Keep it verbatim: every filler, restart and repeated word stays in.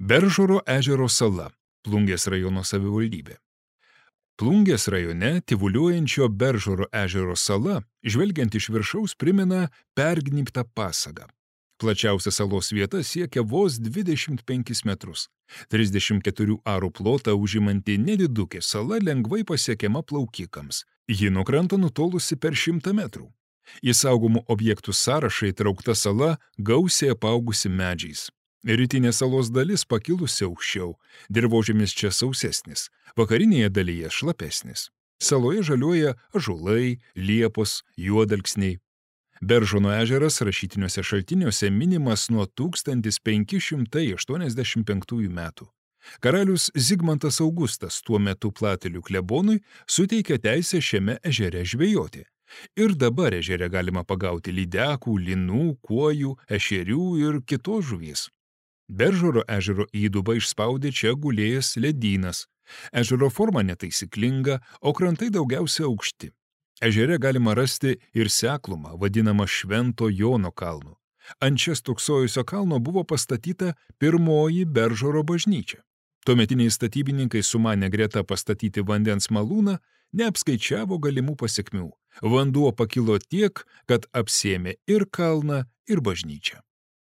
Beržoro ežero sala, Plungės rajono savivaldybė. Plungės rajone tyvuliuojančio Beržoro ežero sala, žvelgiant iš viršaus, primena pergnybtą pasagą. Plačiausia salos vieta siekia vos dvidešimt penkis metrus. trisdešimt keturių arų plotą užimanti nedidukė sala lengvai pasiekiama plaukikams. Ji nuo kranto nutolusi per šimtą metrų. Į saugomų objektų sąrašą įtraukta sala gausiai apaugusi medžiais. Rytinė salos dalis pakilusi aukščiau, dirvožemis čia sausesnis, vakarinėje dalyje šlapesnis. Saloje žaliuoja ąžuolai, liepos, juodalksniai. Beržono ežeras rašytiniuose šaltiniuose minimas nuo tūkstantis penki šimtai aštuoniasdešimt penktųjų metų. Karalius Zigmantas Augustas tuo metu Platelių klebonui suteikė teisę šiame ežere žvejoti. Ir dabar ežere galima pagauti lydekų, linų, kuojų, ešerių ir kitos žuvies. Beržoro ežero įdubą išspaudė čia gulėjęs ledynas. Ežero forma netaisyklinga, o krantai daugiausia aukšti. Ežere galima rasti ir seklumą, vadinamą Švento Jono kalnu. Ant čia stūksojusio kalno buvo pastatyta pirmoji Beržoro bažnyčia. Tuometiniai statybininkai sumanė greta pastatyti vandens malūną, neapskaičiavo galimų pasekmių. Vanduo pakilo tiek, kad apsėmė ir kalną, ir bažnyčią.